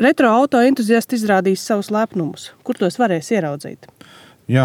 Retro auto entuziasti izrādīs savus lepnumus. Kur tos varēs ieraudzīt? Jā,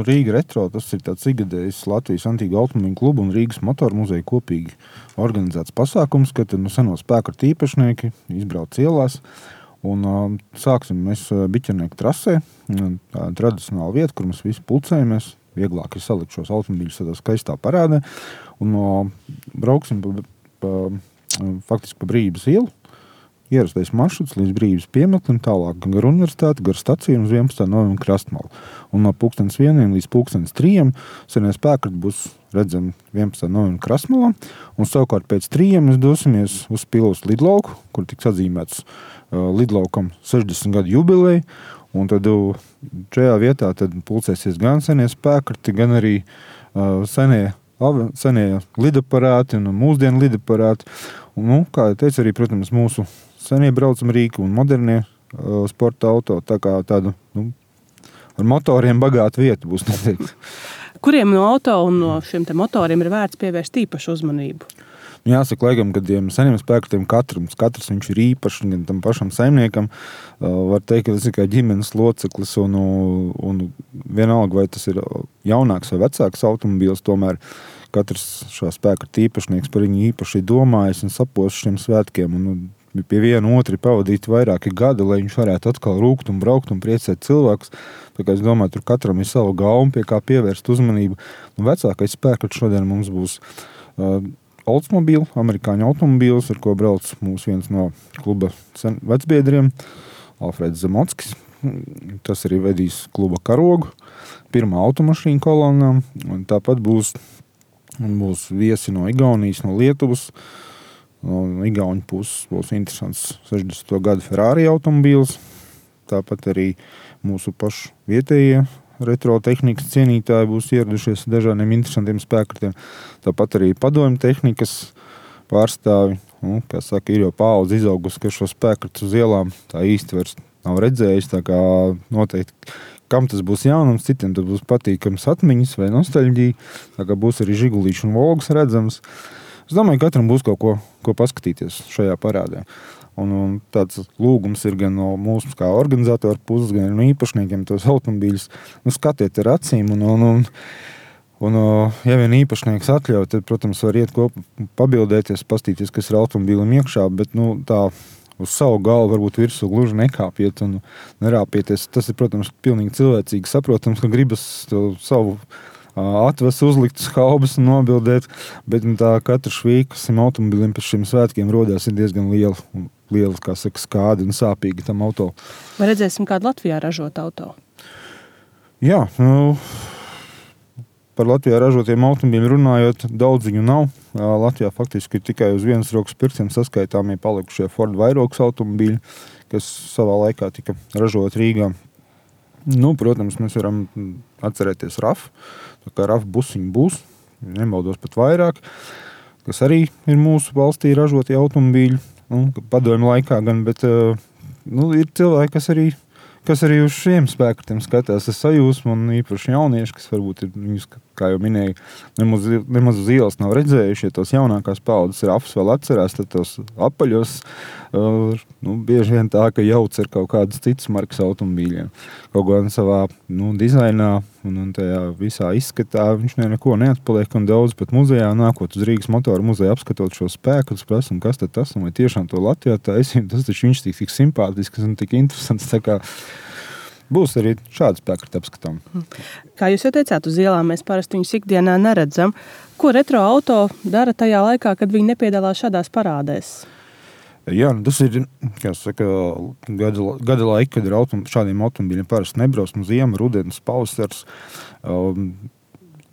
Rīga Retro, tas ir tāds ikgadējs Latvijas antīgu automobīļu klubu un Rīgas motoru muzeja kopīgi organizēts pasākums, kad seno spēkratu īpašnieki izbrauc ielās. Un sāksim mēs Biķernieku trasē, tā tradicionāla vieta, kur mēs visi pulcējamies. Vieglāk ir salikt šos automobīļus tādā skaistā parādē. Un brauksim faktiski pa Brības ielu. Ierastais maršruts līdz Brības piemetlim, tālāk gar universitāti, gar staciju un uz 11. novembra Krastmalu. Un no 1:00 līdz 3:00 senie spēkrati būs redzami 11. novembra Krastmalā. Un savukārt pēc 3 mēs dosimies uz Pilvas lidlauku, kur tiks atzīmēts lidlaukam 60 gadu jubileja. Un tad šajā vietā tad pulcēsies gan senie spēkrati, gan arī senie lidaparāti un mūsdienu lidaparāti. Un, kā jau teicu, arī, protams, mūsu senie braucam rīki un modernie sporta auto. Tā kā tāda, ar motoriem bagāta vieta būs noteikti. Kuriem no auto un no šiem te motoriem ir vērts pievērst īpašu uzmanību? Jāsaka, laikam, kad seniem spēkratiem katrs viņš ir īpašs, gan tam pašam saimniekam. Var teikt, ka tas ir kā ģimenes loceklis un vienalga, vai tas ir jaunāks vai vecāks automobīls, tomēr katrs šā spēkrata īpašnieks par viņu īpaši domājis un sapos šiem svētkiem. Un pie viena otri pavadīt vairāki gadi, lai viņš varētu atkal rūkt un braukt un priecēt cilvēkus. Tā kā es domāju, tur katram ir savu gauma, pie kā pievērst uzmanību. Un vecākais spēkrats šodien mums būs Oldsmobile, amerikāņu automobīls, ar ko brauc mūsu viens no kluba vecbiedriem, Alfreds Zamockis. Tas arī vedīs kluba karogu, pirmā automašīna kolonnā. Tāpat būs viesi no Igaunijas, no Lietuvas. No Igauņu puses būs interesants 60. gadu Ferrari automobīls. Tāpat arī mūsu pašu vietējie retro tehnikas cienītāji būs ieradušies dažādiem interesantiem spēkratiem. Tāpat arī padomju tehnikas pārstāvi. Kā saka, ir jau paudze izaugusi, ka šo spēkratu uz ielām tā īsti vairs nav redzējis. Tā kā noteikti, kam tas būs jaunums, citiem tas būs patīkams atmiņas vai nostalģija. Tā kā būs arī Žigulīši un Volgas redzams. Es domāju, katram būs kaut ko paskatīties šajā parādē. Un tāds lūgums ir gan no mūsu kā organizatoru puses, gan no īpašniekiem tos automobīļus. Skatiet ar acīm un ja vien īpašnieks atļauj, tad, protams, var iet kopā pabildēties, pastīties, kas ir automobīlim iekšā, bet tā uz savu galvu varbūt virsū gluži nekāpiet un nerāpieties. Tas ir, protams, pilnīgi cilvēcīgi saprotams, ka gribas savu atvesu uzlikt uz haubas un nobildēt, bet tā katra švīka šim automobilim pēc šiem svētkiem rodās ir diezgan liela, kā saka, skādi un sāpīgi tam auto. Vai redzēsim kādu Latvijā ražot auto? Jā, par Latvijā ražotiem automobīļiem runājot, daudz viņu nav. Latvijā faktiski ir tikai uz vienas rokas pirkstiem saskaitāmie palikušie Ford Vairogs automobīļi, kas savā laikā tika ražot Rīgā. Protams, mēs varam atcerēties RAF. Tā kā RAF busiņi būs, nemaldos pat vairāk, kas arī ir mūsu valstī ražotie automobīļi. Padomju laikā gan, bet ir cilvēki, kas arī uz šiem spēkratiem skatās ar sajūsmu, un īpaši jaunieši, kas varbūt ir viņus, kā jau minēju, nemaz uz ielas nav redzējuši. Ja tos jaunākās paudzes RAFs vēl atcerās, tad tos apaļos bieži vien tā, ka jauc ar kaut kādas citas markas automobīļiem. Kaut gan savā dizainā un tajā visā izskatā viņš neko neatpaliek, un daudz pat muzejā nākot uz Rīgas motoru muzeju apskatot šo spēkratus, prasa, un kas tad tas, un vai tiešām to Latvijā taisīt, tas taču viņš tik simpātisks un tik interesants, tā kā būs arī šādi spēkrati apskatām. Kā jūs jau teicāt, uz ielām mēs parasti viņus ikdienā neredzam. Ko retro auto dara tajā laikā, kad viņi nepiedalās šādās parādēs? Jā, tas ir, kā saka, gada laika, kad ir šādiem automobīļiem parasti nebrauc no ziema, rudenis, pavasars.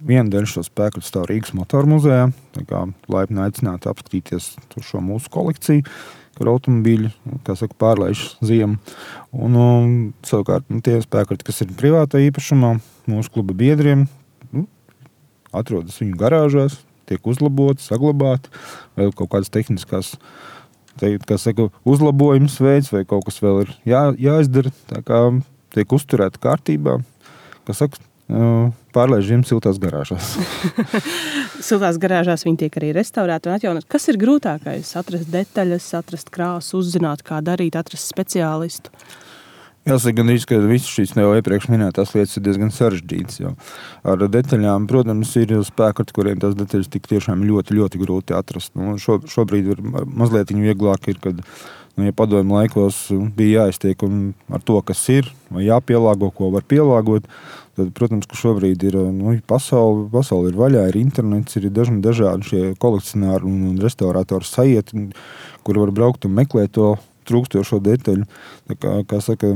Vienu dienu šo spēkratu stāv Rīgas motoru muzejā. Tā kā laipni aicināti apskatīties šo mūsu kolekciju, kur automobīļi, kā saka, pārlaiž ziemu. Un savukārt tie spēkrati, kas ir privātā īpašumā, mūsu kluba biedriem, atrodas viņu garāžās, tiek uzlaboti, saglabāti, vai kaut kādas tehniskās uzlabojums veids, vai kaut kas vēl ir jāizdara, tā kā tiek uzturēta kārtībā. pārlaiž ziemas siltās garāžās. Siltās garāžās viņi tiek arī restaurēti un atjaunot. Kas ir grūtākais? Atrast detaļas, atrast krāsu, uzzināt, kā darīt, atrast speciālistu? Jāsaka, gandrīz, ka visas šīs jau iepriekš minētās lietas ir diezgan sarežģītas. Jo ar detaļām, protams, ir spēkati, kuriem tās detaļas tik tiešām ļoti, ļoti grūti atrast. Šobrīd ir mazliet vieglāk, kad ja padomju laikos bija jāiztiek ar to, kas ir, vai jāpielāgo, ko var pielāgot, tad, protams, ka šobrīd ir pasaule ir vaļā, ir internets, ir dažādi šie kolekcionāri un restaurātori sajieti, kuri var braukt un meklēt to trūkstošo detaļu. Kā saka,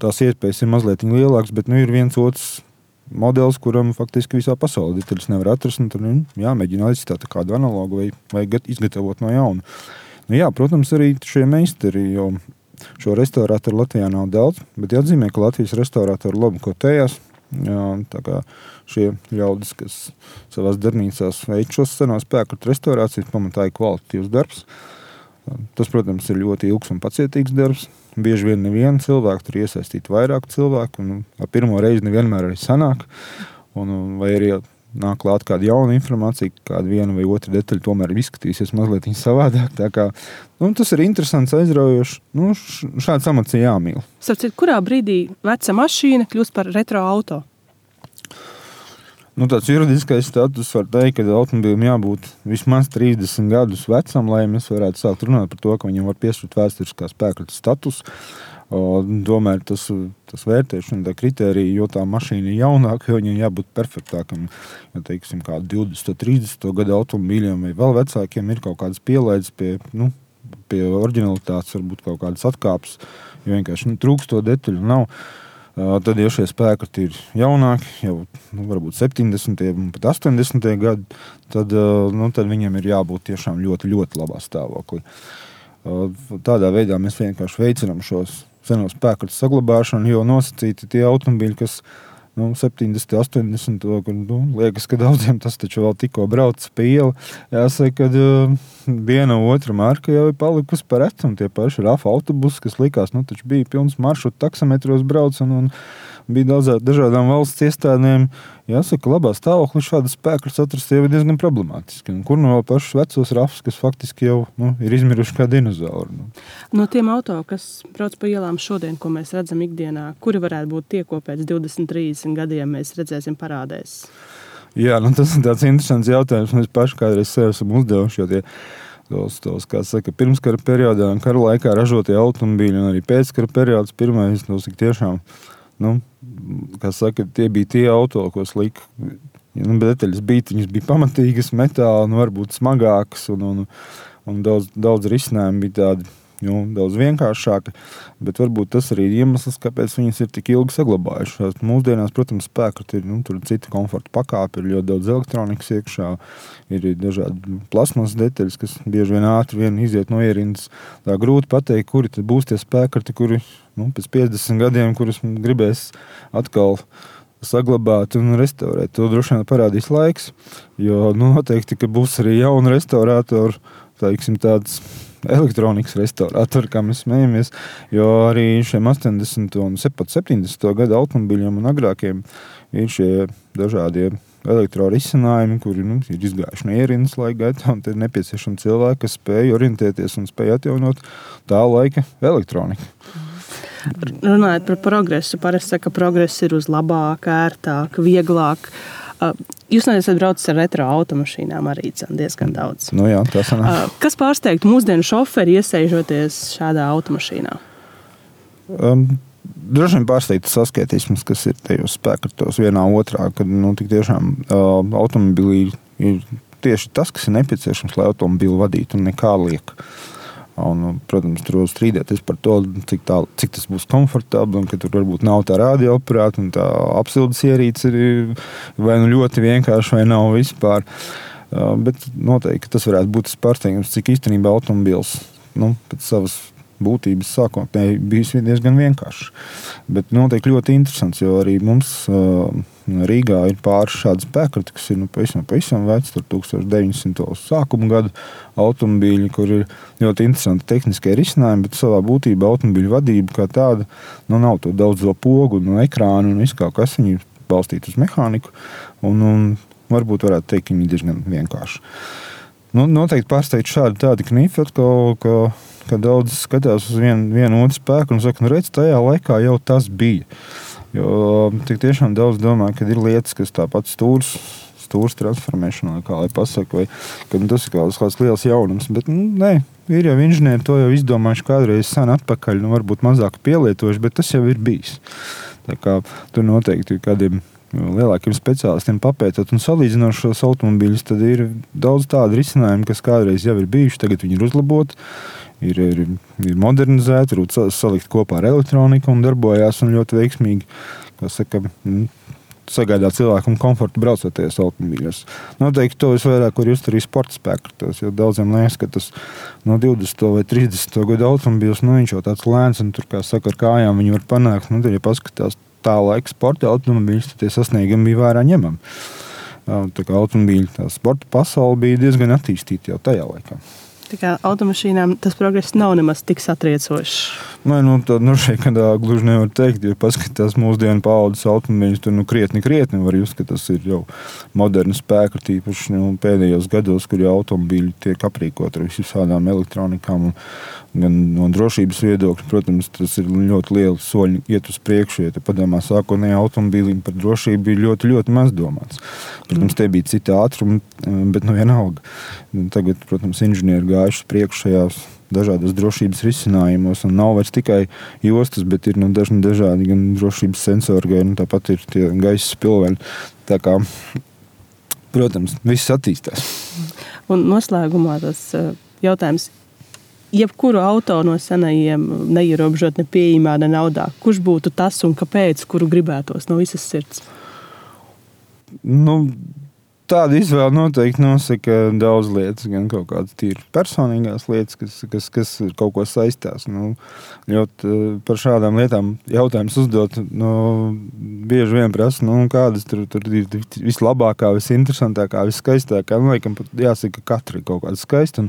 tās iespējas ir mazliet lielākas, bet ir viens otrs modelis, kuram faktiski visā pasaulē detaļas nevar atrast, un tad jāmēģina aizstāt kādu analogu vai izgatavot no jauna. Protams, arī šie meistari, jo šo restaurātoru Latvijā nav daudz, bet jāatzīmē, ka Latvijas restaurātori labi kotējās. Tā kā šie ļaudis, kas savās darbnīcās veic šos senos spēku restaurācijas, pamatā ir kvalitatīvs darbs. Tas, protams, ir ļoti ilgs un pacietīgs darbs. Bieži vien nevienu cilvēku tur iesaistīt vairāk cilvēku, un ar pirmo reizi nevienmēr arī sanāk. Vai arī nāk klāt kāda jauna informācija, kāda viena vai otra detaļa tomēr izskatīsies mazliet savādāk. Tā kā, tas ir interesants, aizraujošs. Šāds amats ir jāmīl. Sapcīt, kurā brīdī veca mašīna kļūst par retro auto? Tāds juridiskais status var teikt, ka automobilim jābūt vismaz 30 gadus vecam, lai mēs varētu sākt runāt par to, ka viņam var piešķirt vēsturiskā spēkļa status. Tomēr tas vērtēšana, tā kritērija, jo tā mašīna ir jaunāka, jo viņam jābūt perfektākam. Ja teiksim, kā 20, 30 gadu automobīļiem vai vēl vecākiem ir kaut kādas pielaides pie oriģinalitātes, varbūt kaut kādas atkāpes, jo vienkārši trūkst to detaļu nav. Tad, ja šie spēkati ir jaunāki, jau varbūt 70. un pat 80. gadi, tad viņam ir jābūt tiešām ļoti, ļoti labā stāvoklī. Tādā veidā mēs vienkārši veicinām šos senos spēkatus saglabāšanu, jo nosacīti tie automobīļi, kas 70, 80, liekas, ka daudziem tas taču vēl tikko brauc pa ielu. Jāsaka, ka viena otra marka jau ir palikusi par retu, un tie paši RAF autobusi, kas likās, taču bija pilns maršrutu taksametros brauc, un bija dažādām valsts iestādēm. Jāsaka, labā stāvoklī šādas spēkļus atrast jau ir diezgan problemātiski. Un kur no pašus vecos RAFs, kas faktiski jau ir izmiruši kā dinozauri. No tiem auto, kas brauc pa ielām šodien, ko mēs redzam ikdienā, kuri varētu būt tie, ko pēc 20, 30 gadiem mēs redzēsim parādēs? Jā, tas ir tāds interesants jautājums. Mēs paši kādreiz sev esam uzdevuši, jo tos, kā saka, pirmskara periodā un kara laikā ražotie automobīļi un arī pēckara periods pirmais, tiešām kā saka, tie bija tie auto, ko slika. Detaļas viņas bija pamatīgas, metāli, varbūt smagākas, un daudz risinājumu bija tādi daudz vienkāršāki, bet varbūt tas arī ir iemesls, kāpēc viņas ir tik ilgi saglabājušās. Mūsdienās, protams, spēkati ir tur cita komforta pakāpe, ir ļoti daudz elektronikas iekšā, ir dažādi plasmas detaļas, kas bieži vien ātri iziet no ierindas. Tā grūti pateikt, kuri tad būs tie spēkati, kuri pēc 50 gadiem, kurus gribēs atkal saglabāt un restaurēt. To droši vien parādīs laiks, jo noteikti, ka būs arī jauni restaurātori, tāds elektronikas restaurātori, kā mēs smējamies, jo arī šiem 80 un 70 gadu automobiļiem un agrākiem ir šie dažādie elektrorisinājumi, kuri ir izgājuši no ierindas laika gaitā, un te ir nepieciešami cilvēki, kas spēj orientēties un spēj atjaunot tā laika elektroniku. Runājot par progresu, parasti saka, ka progress ir uz labāk, ērtāk, vieglāk. Jūs neesat braucis ar retro automašīnām arī diezgan daudz. Jā, tā sanāk. Kas pārsteigtu mūsdienu šoferi iesēžoties šādā automašīnā? Droši vien pārsteigtu saskaitīsmes, kas ir tajos spēkatos vienā otrā, kad tik tiešām automobilī ir tieši tas, kas ir nepieciešams, lai automobili vadītu un nekā liek. Un, protams, tur var strīdēties par to, cik tas būs komfortabli, un ka tur varbūt nav tā radioaparāta un tā apsildes ierīce ir vai ļoti vienkārši vai nav vispār. Bet noteikti tas varētu būt tas pārsteigums, cik īstenībā automobils pēc savas būtības sākotnēji bijis diezgan vienkārši. Bet noteikti ļoti interesants, jo arī mums Rīgā ir pāris šādi spēkrati, kas ir pavisam veci, tur 1900 sākuma gadu automobīļi, kur ir ļoti interesanti tehniskie risinājumi, bet savā būtībā automobīļu vadība kā tāda nav to daudzo pogu un ekrānu un visu kaut kas. Viņi balstīti uz mehāniku, un varbūt varētu teikt, ka viņi ir diezgan vienkārši. Noteikti pārsteigt šādi tādi knifi atkal, ka daudz skatās uz vienu otru spēku un saka, redz, tajā laikā jau tas bija. Jo tik tiešām daudz domā, ka ir lietas, kas tāpat stūrs transformēšanā, kā lai pasaka, vai ka tas ir kāds liels jaunums, bet nē, ir jau inženieri to jau izdomājuši kādreiz sen atpakaļ, varbūt mazāk pielietojuši, bet tas jau ir bijis. Tā kā tur noteikti kādiem lielākiem speciālistiem papētot un salīdzinot šos automobīļus, tad ir daudz tādu risinājumu, kas kādreiz jau ir bijuši, tagad viņi ir uzlaboti, ir modernizēti, varbūt salikt kopā ar elektroniku un darbojās un ļoti veiksmīgi, kā saka, sagādā cilvēkam komfortu braucoties automobīļos. Noteikti to visvairāk var just arī sporta spēkratos, jo daudziem liekas, ka tas no 20. vai 30. gadu automobīļos, viņš jau tāds lēns un tur, kā saka, ar kājām viņi var panākt, tad, ja paskatās tā laika sporta automobīļus, tad tie sasniegumi bija vērā ņemami. Tā kā automobīļu tā sporta pasaule bija diezgan attīstīta jau tajā laikā. Tā kā automašīnām tas progress nav nemaz tik satriecošs. Šeit gluži nevar teikt, ja paskatās mūsdienu paaudzes automobīļus, tur krietni var just, ka tas ir jau moderni spēku, tīpaši pēdējos gados, kur jau automobīļi tiek aprīkot ar visādām elektronikām un gan no drošības viedokļa, protams, tas ir ļoti lieli soļi iet uz priekšu, ja padomā sākotnējā automobīlim par drošību bija ļoti, ļoti maz domāts. Protams, tie bija citi ātrumi, bet vienalga. Tagad, protams, inženieri gājuši priekš šajās dažādas drošības risinājumos, un nav vairs tikai jostas, bet ir dažādi gan drošības sensori, gan tāpat ir tie gaisa spilveņi. Tā kā, protams, viss attīstās. Un noslēgumā tas jautājums, jebkuru auto no senajiem neierobežot ne pieejamā, ne naudā, kurš būtu tas un kāpēc, kuru gribētos no visas sirds? Tāda izvēle noteikti nosaka daudz lietas, gan kaut kādas tīri personīgās lietas, kas ir kaut ko saistās. Par šādām lietām jautājums uzdot, bieži vien prasa, kādas tur ir vislabākā, visinteresantākā, viskaistākā. Laikam pat jāsaka, ka katra ir kaut kāda skaista.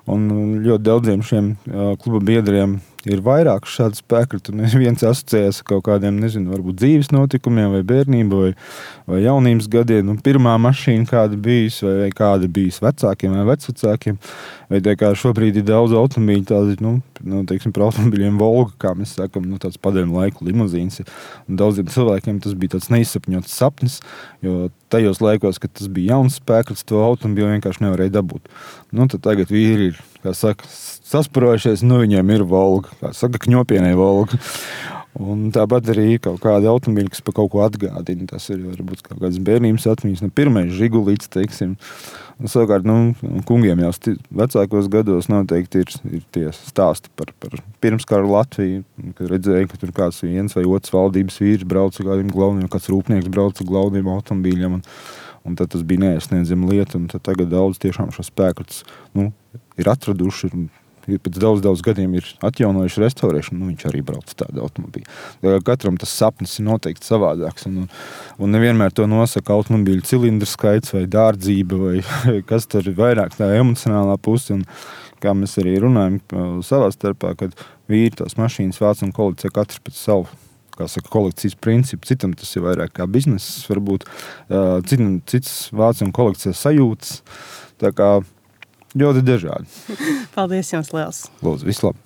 Un ļoti daudziem šiem kluba biedriem ir vairāk šādu spēkratu, un viens asociējas ar kaut kādiem, varbūt dzīves notikumiem, vai bērnību, vai jaunības gadiem, pirmā mašīna kāda bijis, vai kāda bijis vecākiem vai vecvecākiem, vai tā kā šobrīd ir daudz automobīļu, tādi, teiksim, par automobīļiem Volga, kā mēs sakam, tāds padomju laiku limuzīns. Un daudziem cilvēkiem tas bija tāds neizsapņots sapnis, jo tajos laikos, kad tas bija jauns spēkrats, to automobīlu vienkārši nevarēja dabūt. Tad tagad vīri ir, kā saka, sasparojušies, viņiem ir Volga, kā saka, kņopienai Volga. Un tāpat arī kaut kāda automobīļa, kas par kaut ko atgādina. Tas ir varbūt kaut kādas bērnības atmiņas. Pirmais Žigulīts, teiksim. Un savukārt, kungiem jau vecākos gados noteikti ir tie stāsti par pirmskaru Latviju, kad redzēja, ka tur kāds viens vai otrs valdības vīrs brauca kādiem glauniem, kāds rūpnieks brauca glauniem automobīļiem. Un tad tas bija neaizsniedzama lieta. Un tad tagad daudz tiešām šo spēkratus ir atraduši. Ir pēc daudz gadiem ir atjaunojuši restaurēšanu, viņš arī brauc tādu automobīlu. Katram tas sapnis ir noteikti savādāks. Un nevienmēr to nosaka automobīļu cilindru skaits vai dārdzība, vai kas tur ir vairāk tā emocionālā puse. Un kā mēs arī runājam savā starpā, kad vīri tās mašīnas vāc un kolekcionē katrs pēc savu, kā saka, kolekcijas principu. Citam tas ir vairāk kā bizness, varbūt cits vāc un kolekcionē sajūtas. Tā kā ļoti dažādi. Paldies jums liels. Lūdzu, vislabāk.